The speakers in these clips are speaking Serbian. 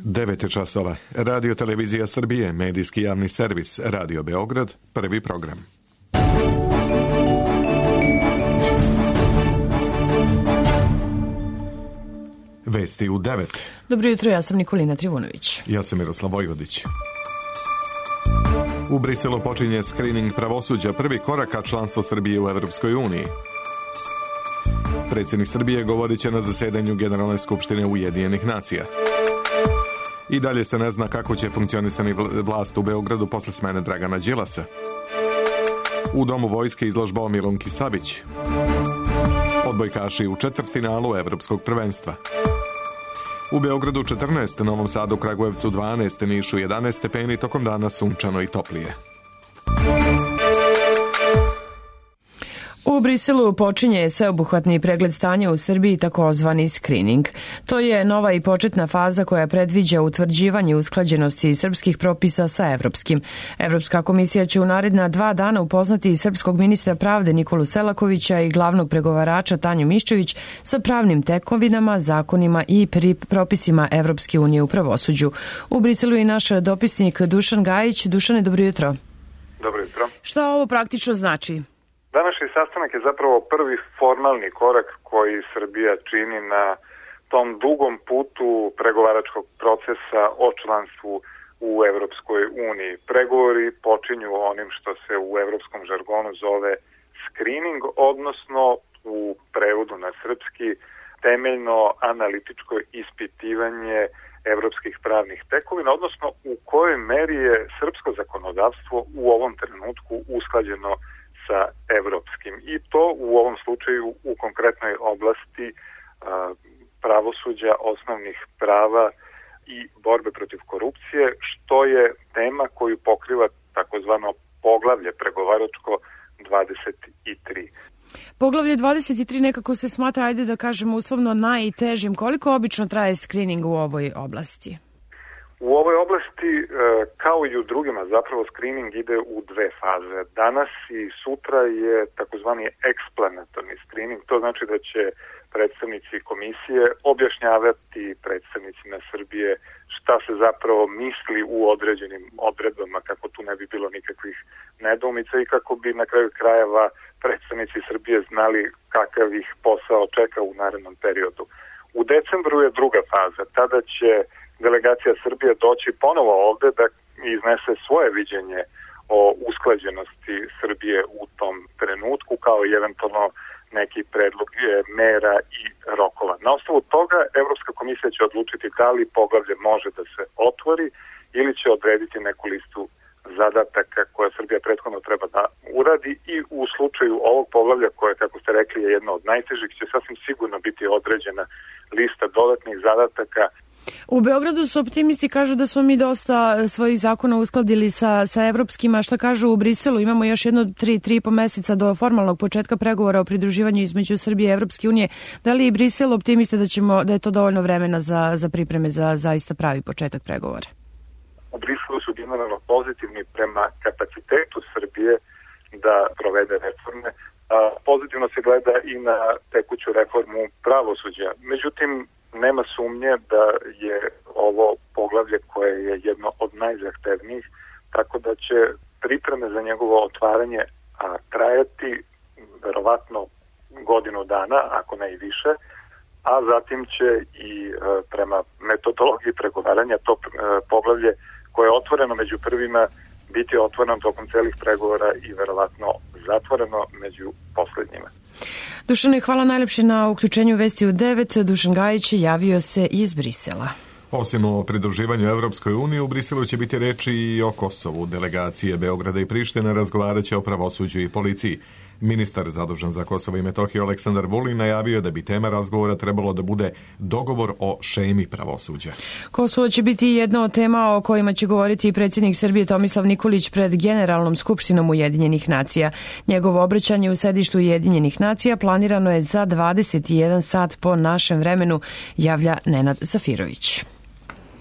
9 je časova. Radio Televizija Srbije, medijski javni servis, Radio Beograd, prvi program. Vesti u 9. Dobro jutro, ja sam Nikolina Trivunović. Ja sam Miroslav Vojvodić. U Briselu počinje skrining pravosuđa, prvi korak ka članstvo Srbije u Evropskoj uniji. Predsjednik Srbije govorit će na zasedanju Generalne skupštine Ujedinjenih nacija. I dalje se ne zna kako će funkcionisati vlast u Beogradu posle smene Dragana Đilasa. U Domu vojske izložba o Milunki Savić. Odbojkaši u četvrtfinalu Evropskog prvenstva. U Beogradu 14, Novom Sadu, Kragujevcu 12, Nišu 11 stepeni, tokom dana sunčano i toplije. U Briselu počinje sveobuhvatni pregled stanja u Srbiji, takozvani skrining. To je nova i početna faza koja predviđa utvrđivanje usklađenosti srpskih propisa sa evropskim. Evropska komisija će u naredna 2 dana upoznati srpskog ministra pravde Nikolu Selakovića i glavnog pregovarača Tanju Miščević sa pravnim tekovinama, zakonima i propisima Evropske unije u pravosuđu. U Briselu je naš dopisnik Dušan Gajić. Dušane, dobro jutro. Dobro jutro. Šta ovo praktično znači? Današnji sastanak je zapravo prvi formalni korak koji Srbija čini na tom dugom putu pregovaračkog procesa o članstvu u Evropskoj uniji. Pregovori počinju onim što se u evropskom žargonu zove screening, odnosno u prevodu na srpski temeljno analitičko ispitivanje evropskih pravnih tekovina, odnosno u kojoj meri je srpsko zakonodavstvo u ovom trenutku usklađeno sa evropskim. I to u ovom slučaju u konkretnoj oblasti pravosuđa, osnovnih prava i borbe protiv korupcije, što je tema koju pokriva takozvano poglavlje pregovaračko 23. Poglavlje 23 nekako se smatra, ajde da kažemo uslovno, najtežim. Koliko obično traje skrining u ovoj oblasti? U ovoj oblasti, kao i u drugima, zapravo screening ide u 2 faze. Danas i sutra je takozvani explanatorni screening, to znači da će predstavnici komisije objašnjavati predstavnicima Srbije šta se zapravo misli u određenim odredbama, kako tu ne bi bilo nikakvih nedoumica i kako bi na kraju krajeva predstavnici Srbije znali kakav ih posao čeka u narednom periodu. U decembru je druga faza, tada će delegacija Srbije doći ponovo ovde da iznese svoje viđenje o usklađenosti Srbije u tom trenutku, kao i eventualno neki predlog mera i rokova. Na osnovu toga Evropska komisija će odlučiti da li poglavlje može da se otvori ili će odrediti neku listu zadataka koja Srbija prethodno treba da uradi i u slučaju ovog poglavlja koje, kako ste rekli, je jedno od najtežih, će sasvim sigurno biti određena lista dodatnih zadataka. U Beogradu su optimisti, kažu da smo mi dosta svojih zakona uskladili sa evropskima. Šta kažu u Briselu? Imamo još jedno 3,5 meseca do formalnog početka pregovora o pridruživanju između Srbije i Evropske unije. Da li i Brisel optimiste da je to dovoljno vremena za pripreme za zaista pravi početak pregovora? U Briselu su generalno pozitivni prema kapacitetu Srbije da provede reforme. Pozitivno se gleda i na tekuću reformu pravosuđa. Međutim, nema sumnje da je ovo poglavlje koje je jedno od najzahtevnijih, tako da će pripreme za njegovo otvaranje trajati verovatno godinu dana, ako ne i više, a zatim će i prema metodologiji pregovaranja to poglavlje koje je otvoreno među prvima biti otvoreno tokom celih pregovora i verovatno zatvoreno među poslednjima. Dušane, hvala najlepše na uključenju Vesti u 9. Dušan Gajić javio se iz Brisela. Osim o pridruživanju Evropskoj uniji, u Briselu će biti reči i o Kosovu. Delegacije Beograda i Prištine razgovarat će o pravosuđu i policiji. Ministar zadužen za Kosovo i Metohiju Aleksandar Vulin najavio da bi tema razgovora trebalo da bude dogovor o šemi pravosuđa. Kosovo će biti jedna od tema o kojima će govoriti i predsjednik Srbije Tomislav Nikolić pred Generalnom skupštinom Ujedinjenih nacija. Njegovo obraćanje u sedištu Ujedinjenih nacija planirano je za 21 sat po našem vremenu, javlja Nenad Zafirović.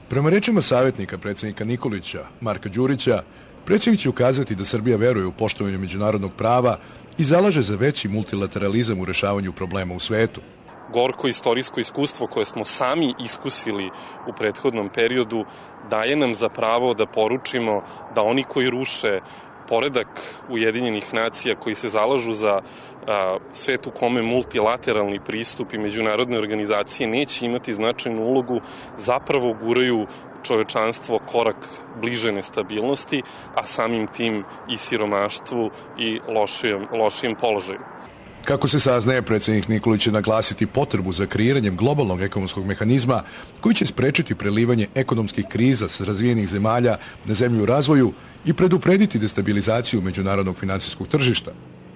Prema rečima savjetnika predsjednika Nikolića, Marka Đurića, predsjednik će ukazati da Srbija veruje u poštovanje međunarodnog prava i zalaže za veći multilateralizam u rešavanju problema u svetu. gorko istorijsko iskustvo koje smo sami iskusili u prethodnom periodu daje nam za pravo da poručimo da oni koji ruše poredak Ujedinjenih nacija, koji se zalažu za svet u kome multilateralni pristup i međunarodne organizacije neće imati značajnu ulogu, zapravo guraju čovečanstvo korak bliže nestabilnosti, a samim tim i siromaštvu i lošijem položaju. Kako se saznaje, predsjednik Nikolić će naglasiti potrebu za kreiranjem globalnog ekonomskog mehanizma koji će sprečiti prelivanje ekonomskih kriza sa razvijenih zemalja na zemlju u razvoju i preduprediti destabilizaciju međunarodnog financijskog tržišta.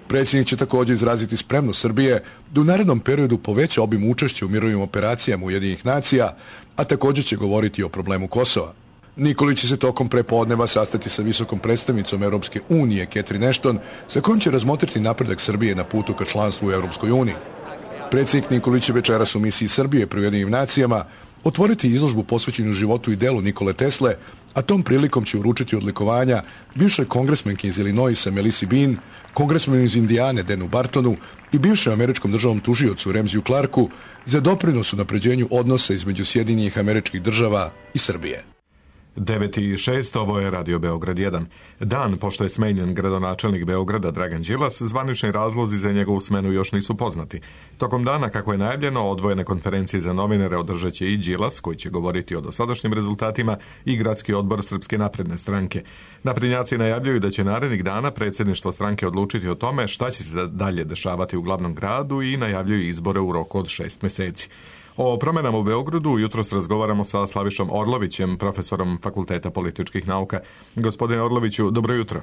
Predsjednik će također izraziti spremnost Srbije da u narednom periodu poveća obim učešća u mirovnim operacijama Ujedinjenih nacija, a također će govoriti o problemu Kosova. Nikolić će se tokom prepodneva sastati sa visokom predstavnicom Europske unije Catherine Ashton, sa kojom će razmotriti napredak Srbije na putu ka članstvu u Europskoj uniji. Predsjednik Nikolić će večeras u misiji Srbije pri Ujedinjenim nacijama otvoriti izložbu posvećenu životu i delu Nikole Tesle, a tom prilikom će uručiti odlikovanja bivšoj kongresmenki iz Illinoisa Melissa Bean, kongresmenu iz Indijane Denu Bartonu i bivšem američkom državnom tužiocu Ramseyu Clarku za doprinos u napređenju odnosa između Sjedinjenih Američkih Država i Srbije. 9:06, ovo je Radio Beograd 1. Dan pošto je smenjen gradonačelnik Beograda Dragan Đilas, zvanični razlozi za njegovu smenu još nisu poznati. Tokom dana, kako je najavljeno, odvojene konferencije za novinare održat će i Đilas, koji će govoriti o dosadašnjim rezultatima, i Gradski odbor Srpske napredne stranke. Naprednjaci najavljuju da će narednih dana predsjedništvo stranke odlučiti o tome šta će se dalje dešavati u glavnom gradu i najavljuju izbore u roku od 6 meseci. O promjenama u Beogradu jutros razgovaramo sa Slavišom Orlovićem, profesorom Fakulteta političkih nauka. Gospodine Orloviću, dobro jutro.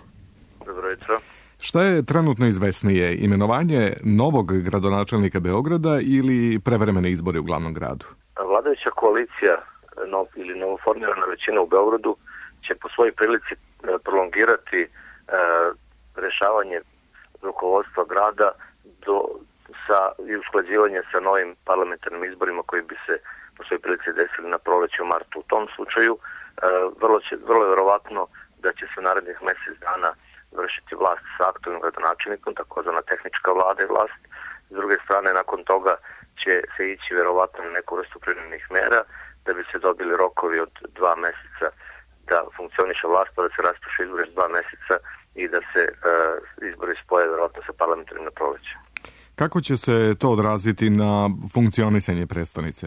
Dobro jutro. Šta je trenutno izvesnije, imenovanje novog gradonačelnika Beograda ili prevremene izbore u glavnom gradu? Vladajuća koalicija ili novoformirana većina u Beogradu će po svojoj prilici prolongirati rešavanje rukovodstva grada i usklađivanje sa novim parlamentarnim izborima koji bi se po svojoj prilici desili na proleće u martu. U tom slučaju vrlo je verovatno da će se narednih mjesec dana vršiti vlast sa aktualnim gradonačelnikom, takozvana tehnička vlada i vlast. S druge strane, nakon toga će se ići verovatno na neku vrstu privremenih mera da bi se dobili rokovi od 2 mjeseca da funkcioniše vlast, pa da se raspiše izbori 2 mjeseca i da se izbori spoje verovatno sa parlamentarnim na proleće. Kako će se to odraziti na funkcionisanje prestonice?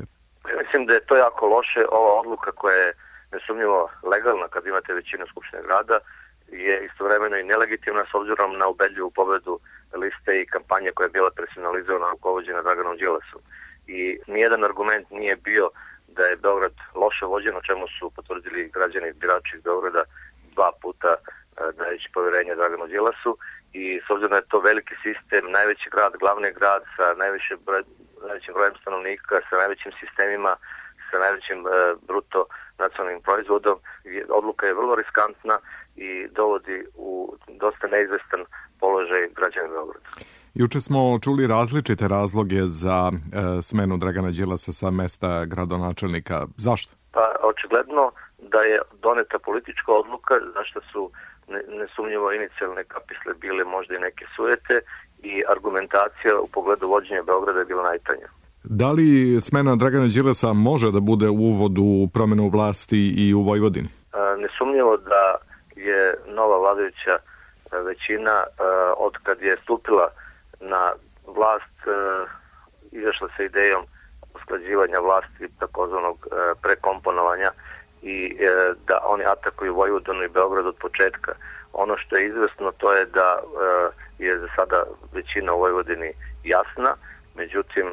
Mislim da je to jako loše. Ova odluka koja je nesumnjivo legalna kad imate većinu Skupštine grada je istovremeno i nelegitimna s obzirom na ubedljivu pobedu liste i kampanje koja je bila personalizovana rukovođena Draganom Đilasom. I nijedan argument nije bio da je Beograd loše vođen, o čemu su potvrdili građani birači iz Beograda 2 puta dajući povjerenje Draganu Đilasu. I s obzirom da je to veliki sistem, najveći grad, glavni grad sa najvećim brojem stanovnika, sa najvećim sistemima, sa najvećim bruto nacionalnim proizvodom, odluka je vrlo riskantna i dovodi u dosta neizvestan položaj građana Beograda. Juče smo čuli različite razloge za smenu Dragana Đilasa sa mesta gradonačelnika. Zašto? Pa očigledno da je doneta politička odluka, zašto su nesumnjivo inicijalne kapisle bile možda i neke sujete i argumentacija u pogledu vođenja Beograda je bila najtanja. Da li smena Dragana Đilasa može da bude uvod u promjenu vlasti i u Vojvodini? Nesumnjivo da je nova vladajuća većina od kad je stupila na vlast izašla sa idejom usklađivanja vlasti takozvanog prekomponovanja i da oni atakuju Vojvodinu i Beograd od početka. Ono što je izvesno to je da je za sada većina u Vojvodini jasna, međutim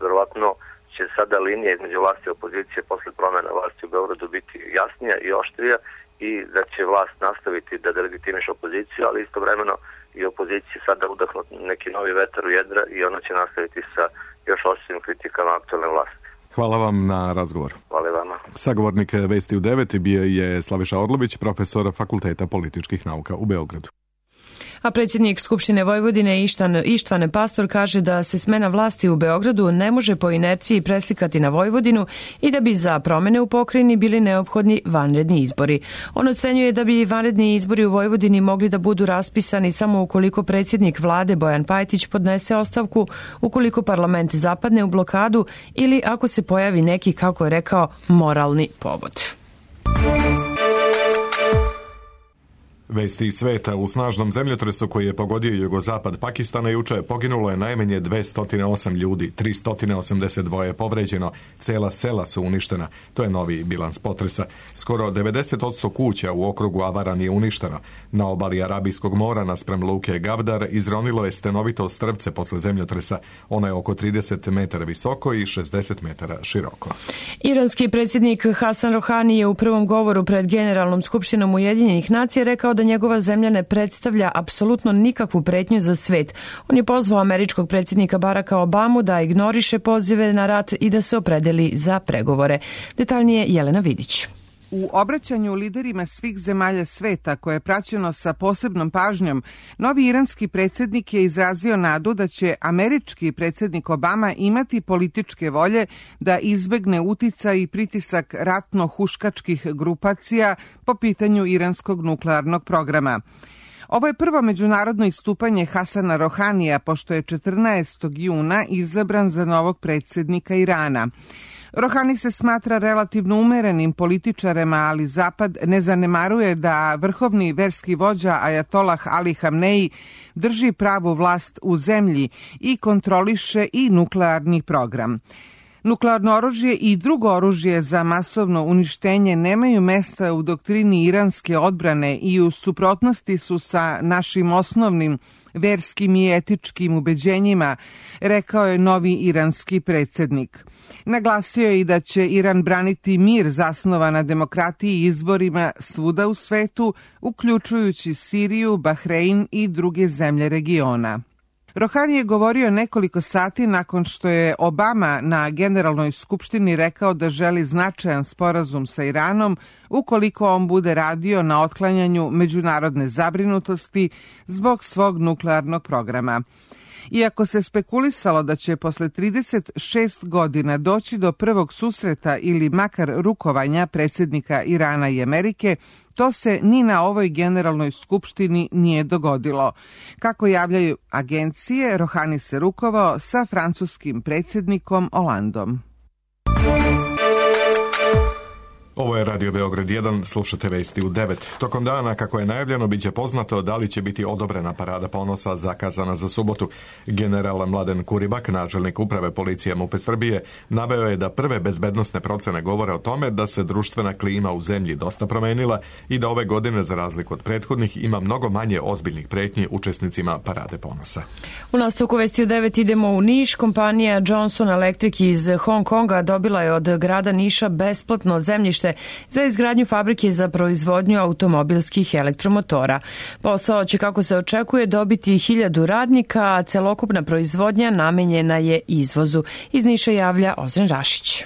verovatno će sada linija između vlasti i opozicije posle promjena vlasti u Beogradu biti jasnija i oštrija i da će vlast nastaviti da delegitimiše opoziciju, ali istovremeno i opoziciji sada udahnu neki novi vetar u jedra i ona će nastaviti sa još oštrim kritikama aktualne vlasti. Hvala vam na razgovoru. Hvala vama. Sagovornik Vesti u 9 bio je Slaviša Orlović, profesor Fakulteta političkih nauka u Beogradu. A predsjednik Skupštine Vojvodine Ištvane Pastor kaže da se smena vlasti u Beogradu ne može po inerciji preslikati na Vojvodinu i da bi za promene u pokrajini bili neophodni vanredni izbori. On ocenjuje da bi vanredni izbori u Vojvodini mogli da budu raspisani samo ukoliko predsjednik vlade Bojan Pajtić podnese ostavku, ukoliko parlament zapadne u blokadu ili ako se pojavi neki, kako je rekao, moralni povod. Vesti iz sveta: u snažnom zemljotresu koji je pogodio jugozapad Pakistana juče poginulo je najmanje 208 ljudi, 382 je povređeno, cela sela su uništena. To je novi bilans potresa. Skoro 90% kuća u okrugu Avaran je uništeno. Na obali Arabijskog mora naspram luke Gavdar izronilo je stenovito strvce posle zemljotresa. Ono je oko 30 metara visoko i 60 metara široko. Iranski predsjednik Hasan Rohani je u prvom govoru pred Generalnom skupštinom Ujedinjenih nacija rekao da njegova zemlja ne predstavlja apsolutno nikakvu pretnju za svet. On je pozvao američkog predsjednika Baracka Obamu da ignoriše pozive na rat i da se opredeli za pregovore. Detaljnije Jelena Vidić. U obraćanju liderima svih zemalja sveta, koje je praćeno sa posebnom pažnjom, novi iranski predsjednik je izrazio nadu da će američki predsjednik Obama imati političke volje da izbegne uticaj i pritisak ratno-huškačkih grupacija po pitanju iranskog nuklearnog programa. Ovo je prvo međunarodno istupanje Hasana Rohanija, pošto je 14. juna izabran za novog predsjednika Irana. Rohani se smatra relativno umerenim političarem, ali Zapad ne zanemaruje da vrhovni verski vođa Ajatolah Ali Hamneji drži pravu vlast u zemlji i kontroliše i nuklearni program. Nuklearno oružje i drugo oružje za masovno uništenje nemaju mesta u doktrini iranske odbrane i u suprotnosti su sa našim osnovnim verskim i etičkim ubeđenjima, rekao je novi iranski predsjednik. Naglasio je i da će Iran braniti mir zasnovan na demokratiji i izborima svuda u svetu, uključujući Siriju, Bahrein i druge zemlje regiona. Rohani je govorio nekoliko sati nakon što je Obama na Generalnoj skupštini rekao da želi značajan sporazum sa Iranom ukoliko on bude radio na otklanjanju međunarodne zabrinutosti zbog svog nuklearnog programa. Iako se spekulisalo da će posle 36 godina doći do prvog susreta ili makar rukovanja predsjednika Irana i Amerike, to se ni na ovoj Generalnoj skupštini nije dogodilo. Kako javljaju agencije, Rohani se rukovao sa francuskim predsjednikom Hollandom. Ovo je Radio Beograd 1, slušate vesti u 9. Tokom dana, kako je najavljeno, biće poznato da li će biti odobrena parada ponosa zakazana za subotu. General Mladen Kuribak, načelnik uprave policije MUP Srbije, naveo je da prve bezbednosne procene govore o tome da se društvena klima u zemlji dosta promenila i da ove godine, za razliku od prethodnih, ima mnogo manje ozbiljnih pretnji učesnicima parade ponosa. U nastavku vesti u 9 idemo u Niš. Kompanija Johnson Electric iz Hong Konga dobila je od grada Niša besplatno zemljište za izgradnju fabrike za proizvodnju automobilskih elektromotora. Posao će, kako se očekuje, dobiti 1000 radnika, a celokupna proizvodnja namenjena je izvozu. Iz Niša javlja Ozren Rašić.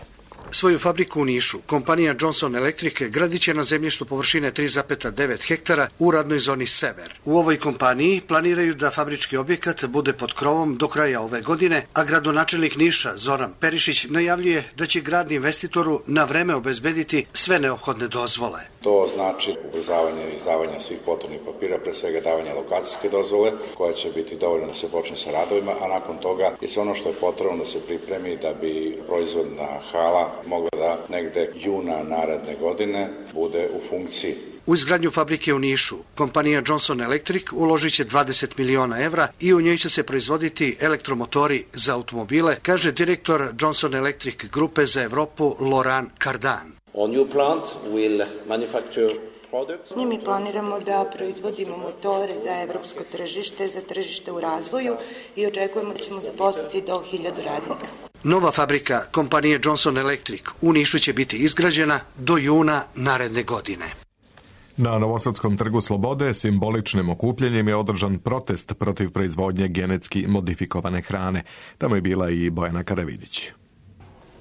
Svoju fabriku u Nišu kompanija Johnson Electric gradit će na zemljištu površine 3,9 hektara u radnoj zoni Sever. U ovoj kompaniji planiraju da fabrički objekat bude pod krovom do kraja ove godine, a gradonačelnik Niša Zoran Perišić najavljuje da će grad investitoru na vreme obezbediti sve neophodne dozvole. To znači ubrzavanje izdavanja svih potrebnih papira, pre svega davanje lokacijske dozvole, koja će biti dovoljno da se počne sa radovima, a nakon toga je sve ono što je potrebno da se pripremi da bi proizvodna hala mogla da negde juna naredne godine bude u funkciji. U izgradnju fabrike u Nišu kompanija Johnson Electric uložit će 20 miliona evra i u njoj će se proizvoditi elektromotori za automobile, kaže direktor Johnson Electric grupe za Evropu Laurent Cardan. Our new plant will manufacture products. Mi planiramo da proizvodimo motore za evropsko tržište, za tržište u razvoju i očekujemo da ćemo zaposliti do 1000 radnika. Nova fabrika kompanije Johnson Electric u Nišu će biti izgrađena do juna naredne godine. Na Novosadskom trgu Slobode simboličnim okupljanjem je održan protest protiv proizvodnje genetski modifikovane hrane. Tamo je bila i Bojana Karavidić.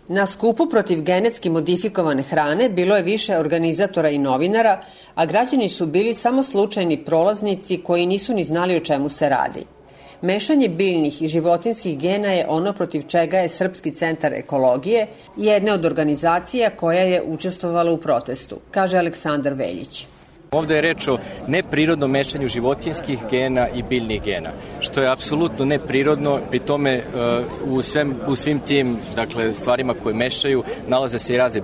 Na skupu protiv genetski modifikovane hrane bilo je više organizatora i novinara, a građani su bili samo slučajni prolaznici koji nisu ni znali o čemu se radi. Mešanje biljnih i životinskih gena je ono protiv čega je Srpski centar ekologije, jedna od organizacija koja je učestvovala u protestu, kaže Aleksandar Veljić. Ovde je reč o neprirodnom mešanju životinjskih gena i biljnih gena, što je apsolutno neprirodno. Pri tome u svim tim stvarima koje mešaju nalaze se i razne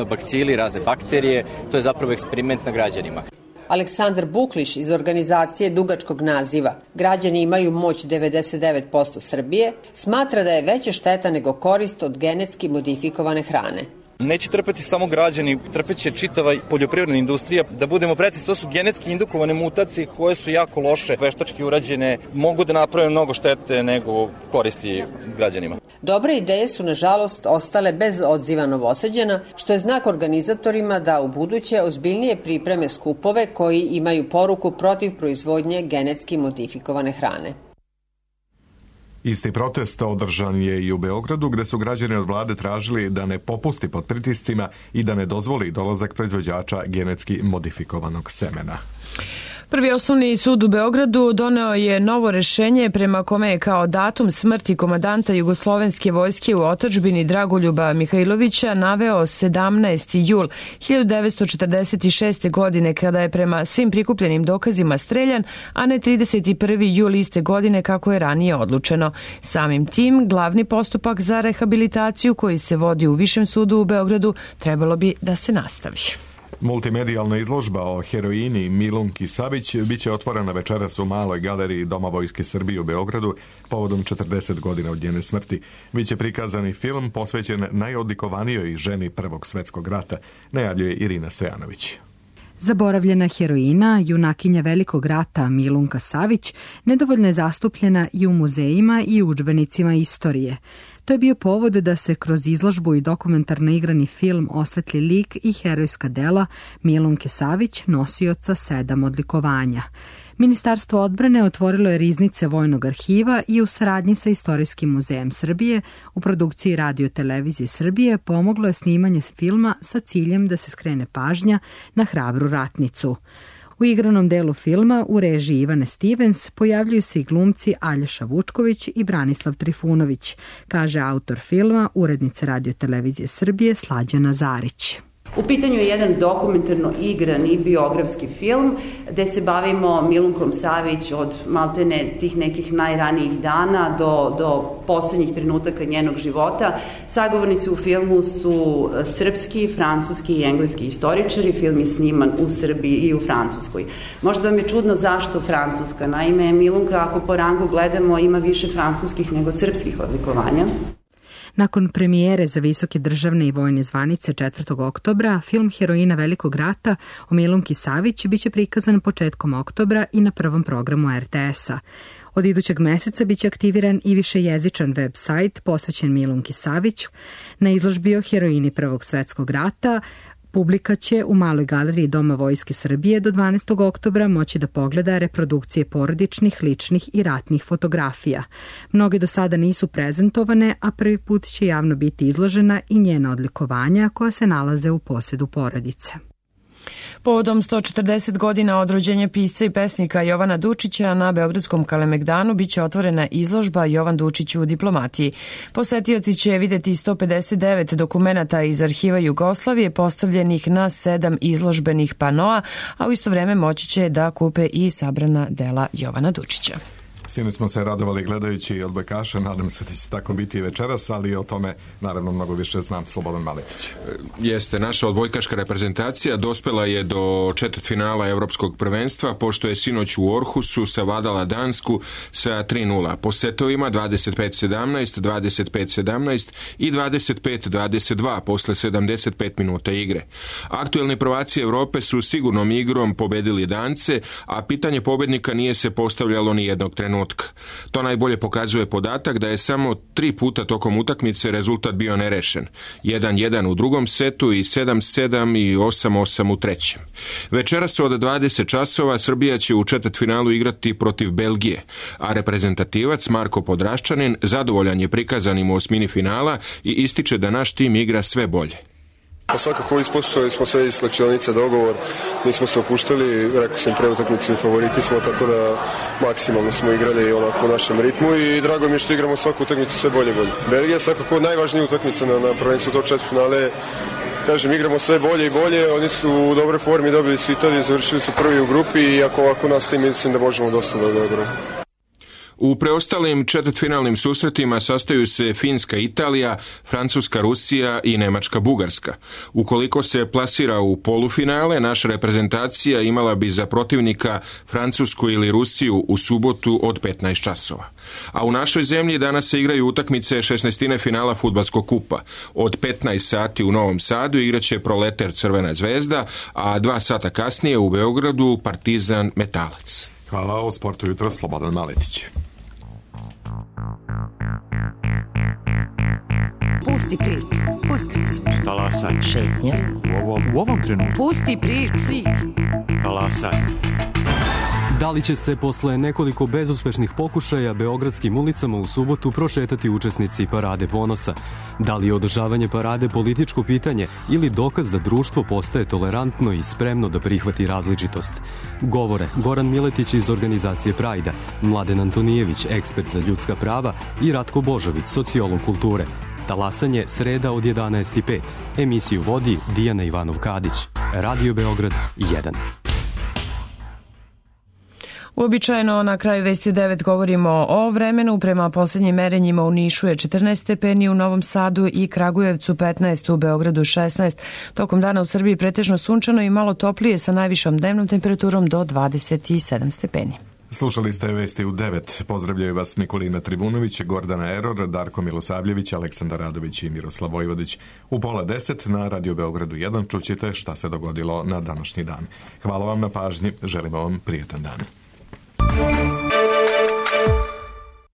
bakcili, razne bakterije. To je zapravo eksperiment na građanima. Aleksandar Bukliš iz organizacije dugačkog naziva Građani imaju moć 99% Srbije smatra da je veća šteta nego korist od genetski modifikovane hrane. Neće trpeti samo građani, trpeće čitava poljoprivredna industrija. Da budemo precizni, to su genetski indukovane mutacije koje su jako loše, veštački urađene, mogu da naprave mnogo štete nego koristi građanima. Dobre ideje su, nažalost, ostale bez odziva Novosađana, što je znak organizatorima da u buduće ozbiljnije pripreme skupove koji imaju poruku protiv proizvodnje genetski modifikovane hrane. Isti protest održan je i u Beogradu, gde su građani od vlade tražili da ne popusti pod pritiscima i da ne dozvoli dolazak proizvođača genetski modifikovanog semena. Prvi osnovni sud u Beogradu doneo je novo rešenje prema kome je kao datum smrti komandanta Jugoslovenske vojske u otadžbini Dragoljuba Mihajlovića naveo 17. jul 1946. godine kada je prema svim prikupljenim dokazima streljan, a ne 31. jul iste godine kako je ranije odlučeno. Samim tim, glavni postupak za rehabilitaciju koji se vodi u Višem sudu u Beogradu trebalo bi da se nastavi. Multimedijalna izložba o heroini Milunki Savić biće otvorena večeras u Maloj galeriji Doma Vojske Srbije u Beogradu povodom 40 godina od njene smrti. Biće prikazani film posvećen najodlikovanijoj ženi Prvog svetskog rata, najavljuje Irina Stojanović. Zaboravljena heroina, junakinja Velikog rata Milunka Savić, nedovoljno je zastupljena i u muzejima i u udžbenicima istorije. To je bio povod da se kroz izložbu i dokumentarno igrani film osvetli lik i herojska dela Milunke Savić, nosioca 7 odlikovanja. Ministarstvo odbrane otvorilo je riznice Vojnog arhiva i u saradnji sa Istorijskim muzejem Srbije u produkciji Radio televizije Srbije pomoglo je snimanje filma sa ciljem da se skrene pažnja na hrabru ratnicu. U igranom delu filma u režiji Ivane Stevens pojavljuju se i glumci Aljoša Vučković i Branislav Trifunović, kaže autor filma, urednica Radio televizije Srbije Slađana Zarić. U pitanju je jedan dokumentarno igrani biografski film gde se bavimo Milunkom Savić od maltene tih nekih najranijih dana do poslednjih trenutaka njenog života. Sagovornici u filmu su srpski, francuski i engleski istoričari. Film je sniman u Srbiji i u Francuskoj. Možda vam je čudno zašto Francuska. Naime, Milunka, ako po rangu gledamo, ima više francuskih nego srpskih odlikovanja. Nakon premijere za visoke državne i vojne zvanice 4. oktobra, film Heroina Velikog rata o Milunki Savić biće prikazan početkom oktobra i na prvom programu RTS-a. Od idućeg meseca biće aktiviran i višejezičan web sajt posvećen Milunki Savić. Na izložbi o heroini Prvog svetskog rata publika će u Maloj galeriji Doma Vojske Srbije do 12. oktobra moći da pogleda reprodukcije porodičnih, ličnih i ratnih fotografija. Mnoge do sada nisu prezentovane, a prvi put će javno biti izložena i njena odlikovanja koja se nalaze u posedu porodice. Povodom 140 godina od rođenja pisca i pesnika Jovana Dučića na Beogradskom Kalemegdanu biće otvorena izložba Jovan Dučić u diplomatiji. Posetioci će videti 159 dokumenata iz arhiva Jugoslavije postavljenih na 7 izložbenih panoa, a u isto vreme moći će da kupe i sabrana dela Jovana Dučića. Sinoć smo se radovali gledajući odbojkaša, nadam se da će tako biti i večeras, ali o tome naravno mnogo više znam Slobodan Maletić. Jeste, naša odbojkaška reprezentacija dospela je do četvrtfinala Evropskog prvenstva, pošto je sinoć u Orhusu savladala Dansku sa 3:0 po setovima 25-17, 25-17 i 25-22 posle 75 minuta igre. Aktuelni prvaci Evrope su sigurnom igrom pobedili Dance, a pitanje pobednika nije se postavljalo ni jednog trenutka. trenutka. To najbolje pokazuje podatak da je samo 3 puta tokom utakmice rezultat bio nerešen. 1-1 u drugom setu i 7-7 i 8-8 u trećem. Večeras od 20 časova Srbija će u četvrtfinalu igrati protiv Belgije, a reprezentativac Marko Podraščanin zadovoljan je prikazanim u osmini finala i ističe da naš tim igra sve bolje. Pa svakako ispoštovali smo sve iz slačionica dogovor, nismo se opuštali, rekao sam pre utakmice, favoriti smo, tako da maksimalno smo igrali onako u našem ritmu i drago mi je što igramo svaku utakmicu sve bolje. Belgija je svakako najvažnija utakmica na prvenstvu tog četvrtfinale. Kažem, igramo sve bolje i bolje, oni su u dobroj formi, dobili su Italiju, završili su prvi u grupi i ako ovako nastavimo, mislim da možemo dosta dobro. U preostalim četvrtfinalnim susretima sastaju se Finska Italija, Francuska Rusija i Nemačka Bugarska. Ukoliko se plasira u polufinale, naša reprezentacija imala bi za protivnika Francusku ili Rusiju u subotu od 15 časova. A u našoj zemlji danas se igraju utakmice 16. finala fudbalskog kupa. Od 15 sati u Novom Sadu igraće Proleter Crvena zvezda, a 2 sata kasnije u Beogradu Partizan Metalac. Hvala, o sportu jutro Slobodan Maletić. Pusti priču. Pusti priču. Talasaj. Šetnja. U ovom trenutku. Pusti priču. Talasaj. Da li će se posle nekoliko bezuspešnih pokušaja beogradskim ulicama u subotu prošetati učesnici Parade ponosa? Da li je održavanje parade političko pitanje ili dokaz da društvo postaje tolerantno i spremno da prihvati različitost? Govore Goran Miletić iz organizacije Prajda, Mladen Antonijević, ekspert za ljudska prava i Ratko Božović, sociolog kulture. Talasanje sreda od 11:05. Emisiju vodi Dijana Ivanov-Kadić. Radio Beograd 1. Uobičajeno na kraju Vesti 9 govorimo o vremenu. Prema posljednjim merenjima u Nišu je 14 stepeni, u Novom Sadu i Kragujevcu 15, u Beogradu 16. Tokom dana u Srbiji pretežno sunčano i malo toplije sa najvišom dnevnom temperaturom do 27 stepeni. Slušali ste Vesti u 9. Pozdravljaju vas Nikolina Trivunović, Gordana Eror, Darko Milosavljević, Aleksandar Radović i Miroslav Vojvodić. U 9:30 na Radio Beogradu 1 čućete šta se dogodilo na današnji dan. Hvala vam na pažnji, želimo vam prijetan dan.